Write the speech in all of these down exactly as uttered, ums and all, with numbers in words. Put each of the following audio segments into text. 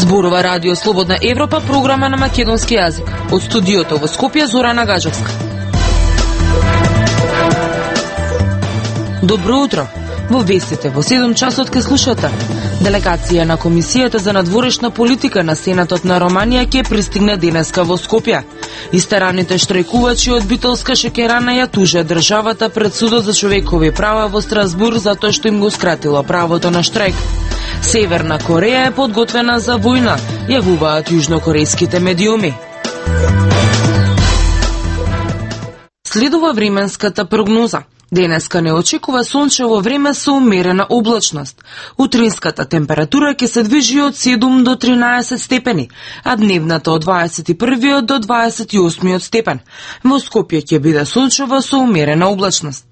Зборува Радио Слободна Европа, програма на македонски јазик. Од студиото во Скопје, Зорана Гаджовска. Добро утро. Во вестите во седум часот ке слушате. Делегација на Комисијата за надворешна политика на Сенатот на Романија ќе пристигне денеска во Скопје. Истераните штрајкувачи од Битолска шеќерана ја тужат државата пред Судот за човекови права во Страсбург затоа што им го скратило правото на штрајк. Северна Кореја е подготвена за војна, јавуваат јужнокорејските медиуми. Следува временската прогноза. Денеска не очекува сончево време со умерена облачност. Утринската температура ќе се движи од седум до тринаесет степени, а дневната од дваесет и првиот до дваесет и осмиот степен. Во Скопје ќе биде сончево со умерена облачност.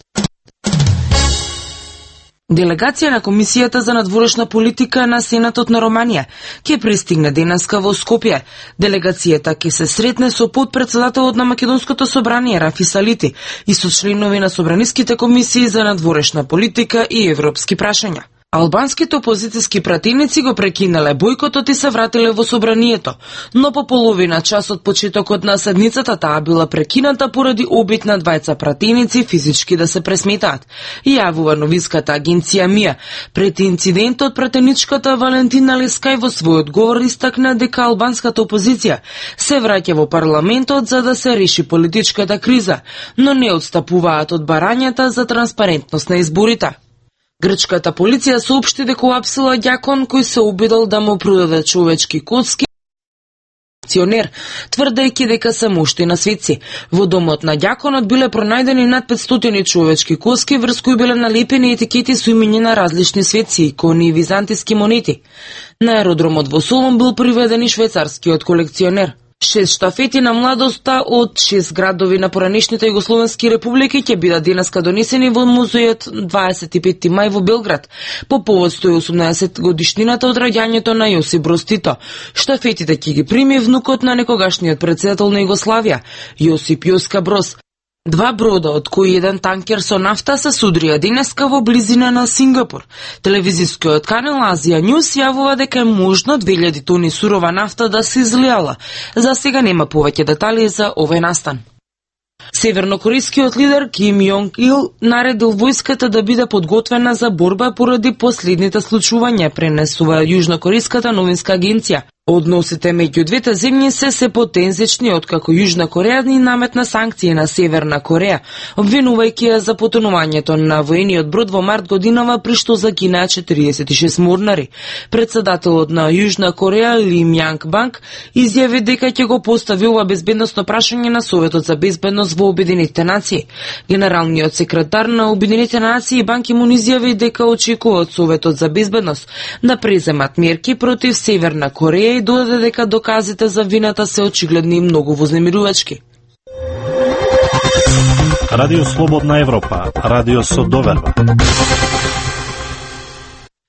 Делегација на Комисијата за надворешна политика на Сенатот на Романија ќе пристигне денеска во Скопје. Делегацијата ќе се сретне со подпредседателот на Македонското собрание Рафи Салити и со членови на собраниските комисии за надворешна политика и европски прашања. Албанските опозицијски пратеници го прекинале бојкотот и се вратиле во собранието, но по половина час од почетокот на седницата таа била прекината поради обид на двајца пратеници физички да се пресметаат. Јавува новинската агенција МИА. Пред инцидентот пратеничката Валентина Лескај во својот говор истакна дека албанската опозиција се враќа во парламентот за да се реши политичката криза, но не отстапуваат од барањата за транспарентност на изборите. Грчката полиција соопшти дека уапсила ѓакон кој се обидел да му продаде човечки коцки акционер, тврдејќи дека се мушти на светци. Во домот на ѓаконот биле пронајдени над петстотини човечки коцки врз кои биле налепени етикети со имиња на различни светци, икони и византиски монети. На аеродромот во Солун бил приведен и швајцарскиот колекционер. Шест штафети на младоста од шест градови на поранешните југословенски републики ќе бидат денеска донесени во музејот дваесет и петти мај во Белград, по повод сто и осумнаесет годишнината од раѓањето на Јосип Броз Тито. Штафетите ќе ги прими внукот на некогашниот председател на Југославија, Јосип Јоска Броз. Два брода, од кои еден танкер со нафта, се судрија денеска во близина на Сингапур. Телевизискиот канал Азија Нјус јавува дека е можно две илјади тони сурова нафта да се излијала. За сега нема повеќе детали за овој настан. Севернокорејскиот лидер Ким Јонг Ил наредил војската да биде подготвена за борба поради последните случувања, пренесува јужнокорејската новинска агенција. Односите меѓу двете земји се се потензични откако Јужна Кореја ни наметна санкции на Северна Кореја, обвинувајќи ја за потонувањето на воениот брод во март годинава при што загинаа четиридесет и шест морнари. Председателот на Јужна Кореја Ли Мјанг Банк изјави дека ќе го постави ова безбедносно прашање на Советот за безбедност во Обединетите нации. Генералниот секретар на Обединетите нации Бан Ки Мун изјави дека очекува од Советот за безбедност да преземат мерки против Северна Кореја и додаде дека доказите за вината се очигледни и многу вознемирувачки. Радио Слободна Европа, радио со доверба.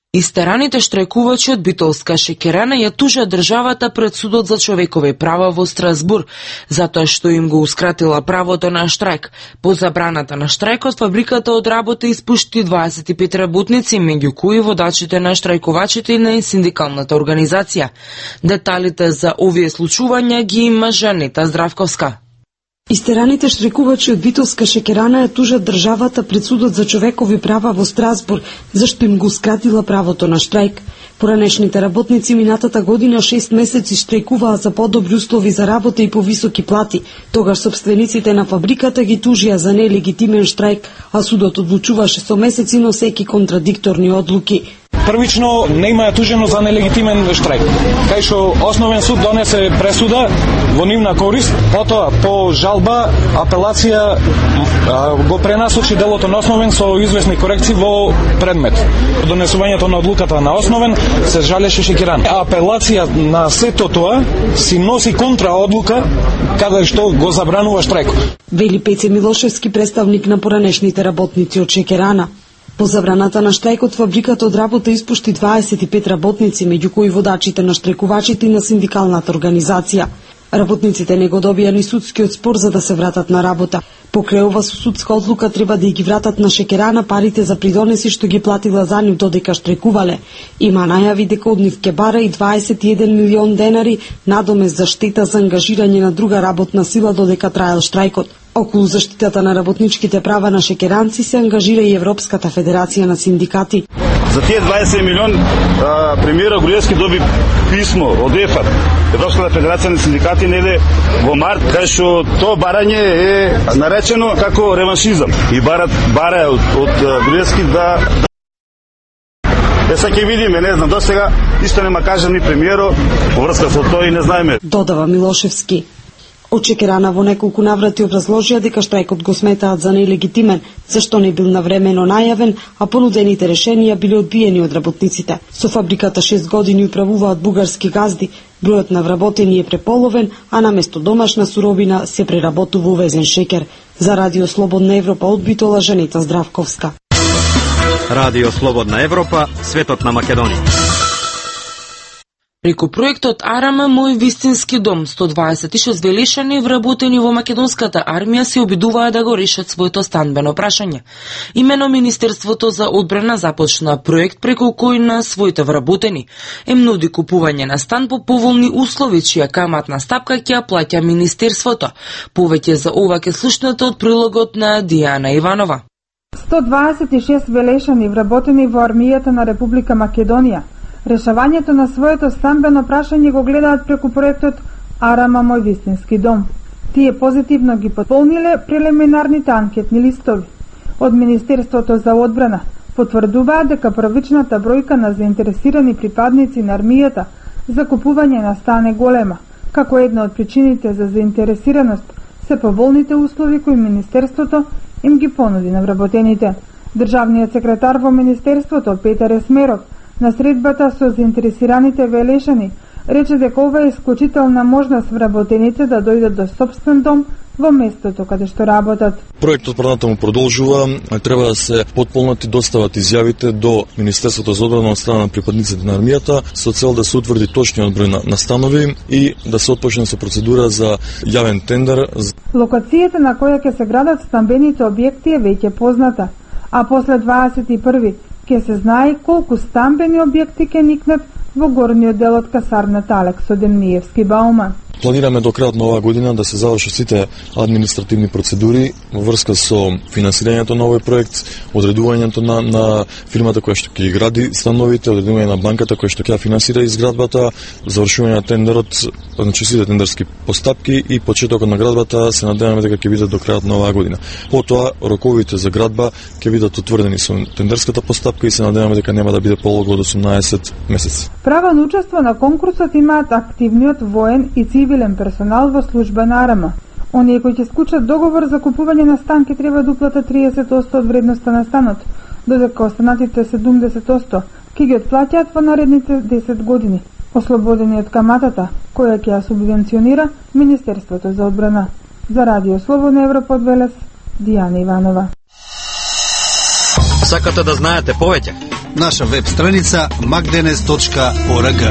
Истераните штрајкувачи од Битолска шеќерана ја тужат државата пред Судот за човекови права во Страсбург, затоа што им гоускратила правото на штрајк. По забраната на штрајкот, фабриката од работа испушти дваесет и пет работници, меѓу кои водачите на штрајкувачите и на синдикалната организација. Деталите за овие случувања ги има Жанета Здравковска. Истераните штрајкувачи од Битолска шеќерана ја тужат државата пред Судот за човекови права во Страсбург, зашто им го скратила правото на штрајк. Поранешните работници минатата година шест месеци штрајкуваа за подобри услови за работа и повисоки плати. Тогаш сопствениците на фабриката ги тужија за нелегитимен штрајк, а судот одлучуваше со месеци носејќи контрадикторни одлуки. Првично не има тужено за нелегитимен штрајк, кај што основен суд донесе пресуда во нивна корист, потоа по жалба апелација го пренасочи делото на основен со известни корекции во предмет. Донесувањето на одлуката на основен се жалеше шеќерана. Апелација на сето тоа си носи контраодлука каде што го забранува штрајкот. Вели Пеце Милошевски, представник на поранешните работници од шеќерана. По забраната на штрајкот, фабриката од работа испушти дваесет и пет работници, меѓу кои водачите на штрајкувачите и на синдикалната организација. Работниците не го добија ни судскиот спор за да се вратат на работа. Покрај ова со судска одлука треба да ги вратат на Шекерана парите за придонеси што ги платила за нив додека штрекувале. Има најави дека од нив ќе бара и дваесет и еден милион денари надомест за штета за ангажирање на друга работна сила додека траел штрајкот. Околу заштитата на работничките права на шекеранци се ангажира и Европската федерација на синдикати. За тие дваесет милион премиерот Груевски доби писмо од ЕФА, Европската федерација на синдикати, неде во март, кај што тоа барање е наречено како реваншизам и барат бара од, од Груевски да Е, сега ќе видиме, не знам, до сега исто нема кажа ни премиерот во врска со тоа и не знаеме. Додава Милошевски. Од Шекерана во неколку наврати образложија дека штрајкот го сметаат за нелегитимен, зашто не бил навремено најавен, а понудените решенија биле одбиени од работниците. Со фабриката шест години управуваат бугарски газди, бројот на вработени е преполовен, а наместо домашна суровина се преработува увезен шекер. За Радио Слободна Европа од Битола, Жанета Здравковска. Радио Слободна Европа, светот на Македонија. Преку проектот Арама Мој вистински дом, сто дваесет и шест велешани вработени во македонската армија се обидуваат да го решат своето станбено прашање. Имено Министерството за одбрана започна проект преку кој на своите вработени им нуди купување на стан по поволни услови, чија каматна стапка ќе ја плаќа Министерството. Повеќе за ова ке слушнете од прилогот на Дијана Иванова. сто дваесет и шест велешани вработени во армијата на Република Македонија решавањето на своето стамбено прашање го гледаат преку проектот Арама Мој вистински дом. Тие позитивно ги потполниле прелиминарните анкетни листови. Од Министерството за одбрана потврдуваат дека првичната бројка на заинтересирани припадници на армијата за купување на стан е голема. Како една од причините за заинтересираност се поволните услови кои Министерството им ги понуди на вработените. Државниот секретар во Министерството Петар Есмеров на средбата со заинтересираните велешани рече дека ова е исклучителна можност вработените да дојдат до собствен дом во местото каде што работат. Проектот понатаму продолжува, треба да се потполнат и достават изјавите до Министерството за одбрана од страна на припадниците на армијата со цел да се утврди точниот број на, на станови и да се отпочне со процедура за јавен тендер. Локацијата на која ќе се градат стамбените објекти е веќе позната, а после дваесет и први ќе се знае колку стамбени објекти ќе никнат во горниот дел од касарната Алекс Демниевски Бауман. Планираме до крајот на оваа година да се завршат сите административни процедури во врска со финансирањето на овој проект, одредувањето на, на фирмата која што ќе ги гради становите, одредување на банката која што ќе финансира изградбата, завршување на тендерот, значи сите тендерски постапки и почетокот на градбата се надеваме дека ќе бидат до крајот на оваа година. Потоа роковите за градба ќе бидат утврдени со тендерската постапка и се надеваме дека нема да биде полого од осумнаесет месеци. Права на учество на конкурсот имаат активниот воен и цивилен персонал во служба на Арама. Оние кои ќе склучат договор за купување на стан ќе треба да уплатат триесет одсто од вредноста на станот, додека останатите седумдесет одсто ќе ги отплаќаат во наредните десет години, ослободени од каматата, која ќе ја субвенционира Министерството за одбрана. За Радио Слободна Европа од Велес, Дијана Иванова. Сакате да знаете повеќе? Наша веб страница макденес точка орг.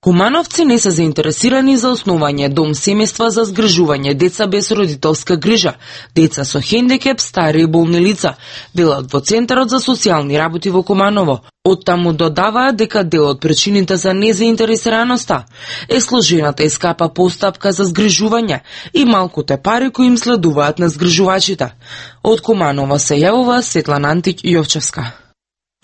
Кумановци не се заинтересирани за основање дом семејства за згрижување деца без родителска грижа, деца со хендикеп, стари и болни лица, велат во Центарот за социјални работи во Куманово. Оттаму додаваат дека дел од причините за незаинтересираноста е сложената и скапа постапка за згрижување и малкуте пари кои им следуваат на згрижувачите. Од Куманово се јавува Светлана Антич Јовчевска.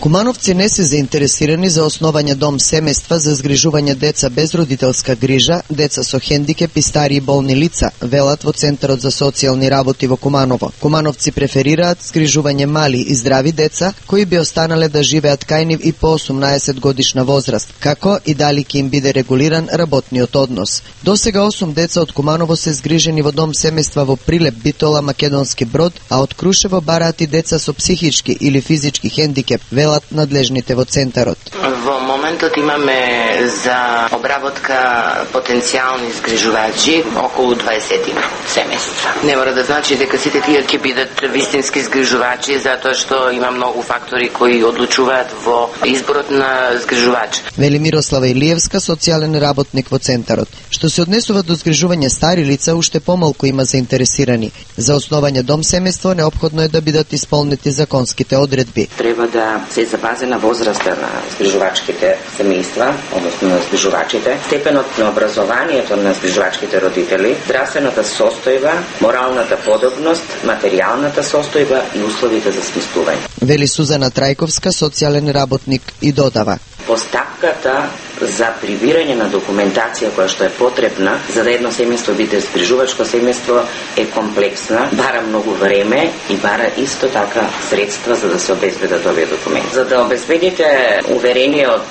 Кумановци не се заинтересирани за основање дом семејства за згрижување деца без родителска грижа, деца со хендикеп и стари и болни лица, велат во Центарот за социјални работи во Куманово. Кумановци преферираат згрижување мали и здрави деца кои би останале да живеат кај нив и по осумнаесет годишна возраст, како и дали ќе им биде регулиран работниот однос. Досега осум деца од Куманово се згрижени во дом семејства во Прилеп, Битола, Македонски Брод, а од Крушево бараат и деца со психички или физички хендикеп, велат надлежните во Центарот. Во Во моментот имаме за обработка потенцијални згрижувачи околу дваесет семејства. Не мора да значи дека сите тие ќе бидат вистински згрижувачи, затоа што има многу фактори кои одлучуваат во изборот на згрижувач. Вели Мирослава Илиевска, социјален работник во центарот. Што се однесува до згрижување стари лица, уште помалку има заинтересирани. За основање дом семејство неопходно е да бидат исполнети законските одредби. Треба да се запазена возраста на згрижувачките семејства, односно на згрижувачите, степенот на образованието на згрижувачките родители, здравствената состојба, моралната подобност, материјалната состојба и условите за сместување. Вели Сузана Трајковска, социјален работник, и додава: Постапката за прибирање на документација која што е потребна за да едно семејство биде згрижувачко семејство е комплексна, бара многу време и бара исто така средства за да се обезбедат овие документи. За да обезбедите уверение од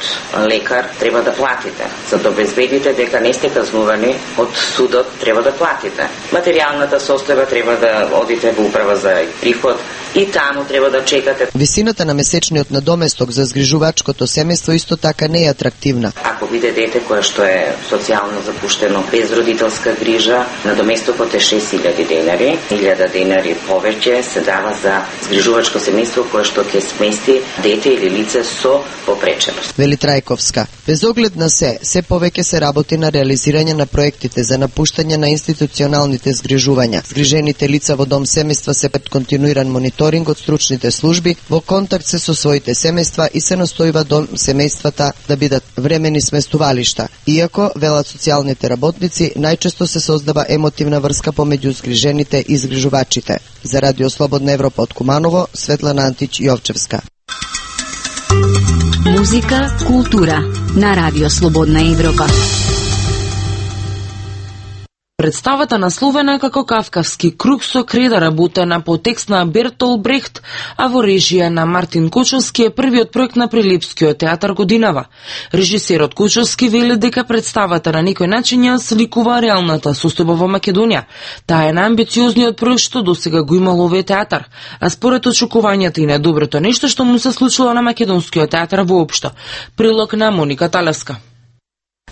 лекар, треба да платите. За да обезбедите дека не сте казнувани од судот, треба да платите. Материјалната состојба треба да одите во управа за приход и таму треба да чекате. Висината на месечниот надоместок за згрижувачкото семејство исто така не е атрактивна. Ако биде дете кое што е социјално запуштено без родителска грижа, надоместокот е шест илјади денари, илјада денари повеќе се дава за згрижувачко семејство кое што ќе смести дете или лице со попреченост. Вели Трајковска, без оглед на се, се повеќе се работи на реализирање на проектите за напуштање на институционалните згрижувања. Згрижените лица во дом семејства се пред континуиран мониторинг од стручните служби, во контакт се со своите семејства и се настојува дом семејствата да бидат времени сместувалишта. Иако, велат социјалните работници, најчесто се создава емотивна врска помеѓу згрижените и згрижувачите. За Радио Слободна Европа од Куманово, Светлана Антич Јовчевска. Музика, култура на Радио Слободна Европа. Представата насловена како Кавкавски круг со креда, работена по текст на Бертолт Брехт, а во режија на Мартин Кочовски, е првиот проект на Прилепскиот театар годинава. Режисерот Кочовски вели дека представата на некој начин ја сликува реалната состојба во Македонија. Таа е најамбициозниот проект што досега го имал овој театар, а според очекувањата и најдоброто нешто што му се случило на Македонскиот театар воопшто. Прилог на Моника Талевска.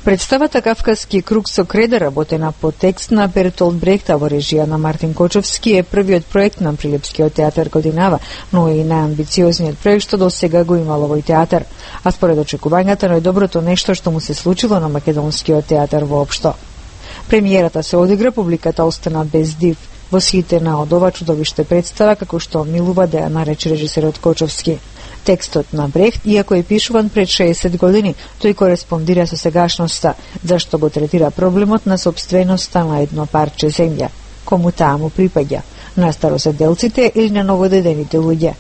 Представата Кавказски круг со креда, работена по текст на Бертолт Брехт во режија на Мартин Кочовски, е првиот проект на Прилепскиот театар годинава, но и најамбициозниот проект што досега го имал овој театар, а според очекувањата најдоброто нешто што му се случило на Македонскиот театар воопшто. Премиерата се одигра, публиката остана без див, восхитена од ова чудовиште представа, како што милува да ја нарече режисерот Кочовски. Текстот на Брехт, иако е пишуван пред шеесет години, тој кореспондира со сегашноста, зашто го третира проблемот на собственоста на едно парче земја. Кому таа му припаѓа? На староседелците или на новодедените луѓе?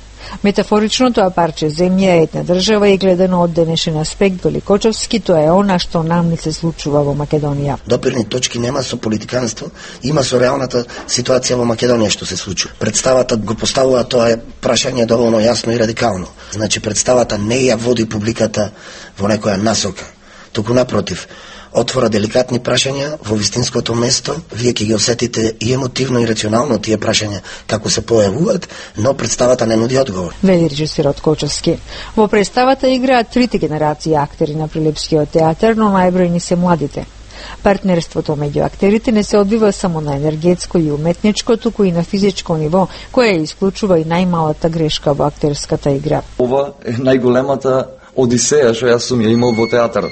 Метафорично, тоа парче земја е една држава и гледано од денешен аспект Великочовски, тоа е она што нам ни се случува во Македонија. Допирни точки нема со политиканство, има со реалната ситуација во Македонија што се случува. Представата го поставува тоа е прашање доволно јасно и радикално. Значи представата не ја води публиката во некоја насока, туку напротив, отвора деликатни прашања во вистинското место, вие ќе ги осетите и емотивно и рационално тие прашања како се појавуваат, но представата не нуди одговор. Вели режисерот Кочовски. Во представата играат трите генерации актери на Прилепскиот театар, но најбројни се младите. Партнерството меѓу актерите не се одвива само на енергетско и уметничко, туку и на физичко ниво, кое исклучува и најмалата грешка во актерската игра. Ова е најголемата одисеја што јас сум ја имал во театарот.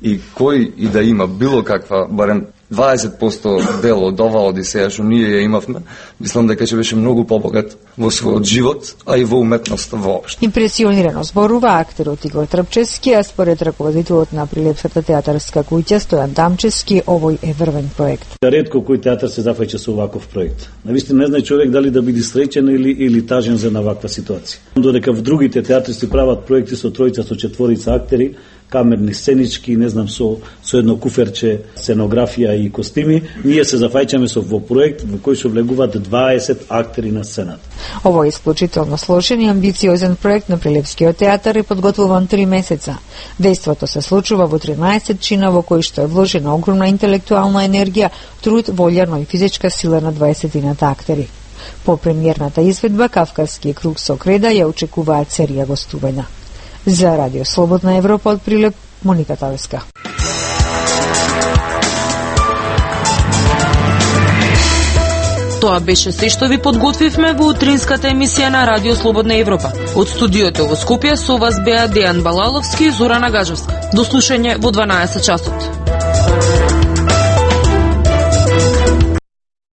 И кој и да има било каква, барем дваесет проценти дел од оваа одисеја што ние ја имавме, мислам дека ќе беше многу побогат во својот живот, а и во уметноста воопшто. Импресионирано зборува актерот Игор Трпчевски, а според раководителот на Прилепската театарска куќа Стојан Дамчевски, овој е врвен проект. Ретко кој театар се зафаќа со оваков проект. Навистина не знае човек дали да биде среќен или или тажен за на ваква ситуација. Додека в другите театри се прават проекти со тројца, со четворица актери, камерни сценички, не знам, со, со едно куферче, сценографија и костими, ние се зафаќаме со во проект во кој се влегуваат дваесет актери на сцената. Овој исклучително сложен и амбициозен проект на Прилепскиот театар е подготвуван три месеца. Дејството се случува во тринаесет чина во кои што е вложена огромна интелектуална енергија, труд, волја, но и физичка сила на дваесетината актери. По премиерната изведба Кавказски круг со креда ја очекуваат серија гостувања. За Радио Слободна Европа од Прилеп, Моника Тавеска. Тоа беше се што ви подготвивме во утринската емисија на Радио Слободна Европа. Од студиото во Скопје со вас беа Дејан Балаловски и Зорана Гажовска. До слушање во дванаесет часот.